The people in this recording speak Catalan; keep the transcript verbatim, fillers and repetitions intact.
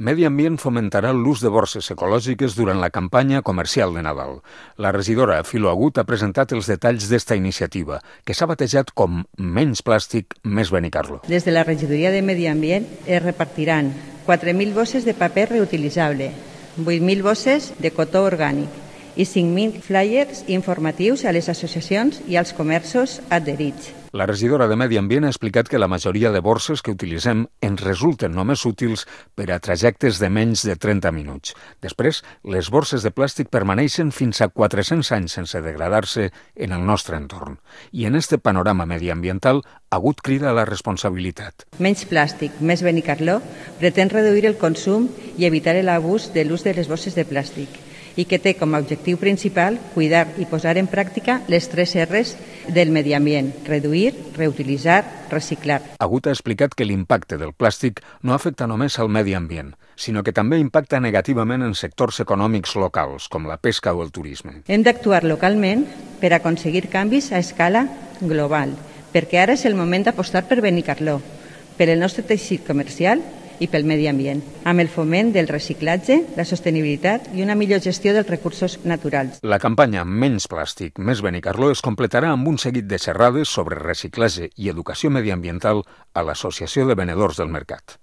Medi Ambient fomentarà l'ús de borses ecològiques durant la campanya comercial de Nadal. La regidora Filo Agut ha presentat els detalls d'esta iniciativa, que s'ha batejat com Menys plàstic, més Benicarló. Des de la regidoria de Medi Ambient es repartiran quatre mil bosses de paper reutilitzable, vuit mil bosses de cotó orgànic i cinc mil flyers informatius a les associacions i als comerços adherits. La regidora de Medi Ambient ha explicat que la majoria de borses que utilitzem ens resulten només útils per a trajectes de menys de trenta minuts. Després, les borses de plàstic permaneixen fins a quatre-cents anys sense degradar-se en el nostre entorn. I en este panorama mediambiental, Agut crida a la responsabilitat. Menys plàstic, més Benicarló pretén reduir el consum i evitar l'abús de l'ús de les bosses de plàstic i que té com a objectiu principal cuidar i posar en pràctica les tres erres del medi ambient: reduir, reutilitzar, reciclar. Agut ha explicat que l'impacte del plàstic no afecta només al medi ambient, sinó que també impacta negativament en sectors econòmics locals, com la pesca o el turisme. Hem d'actuar localment per aconseguir canvis a escala global, perquè ara és el moment d'apostar per Benicarló, per el nostre teixit comercial i pel medi ambient, amb el foment del reciclatge, la sostenibilitat i una millor gestió dels recursos naturals. La campanya Menys plàstic, més Benicarló es completarà amb un seguit de xerrades sobre reciclatge i educació mediambiental a l'Associació de Venedors del Mercat.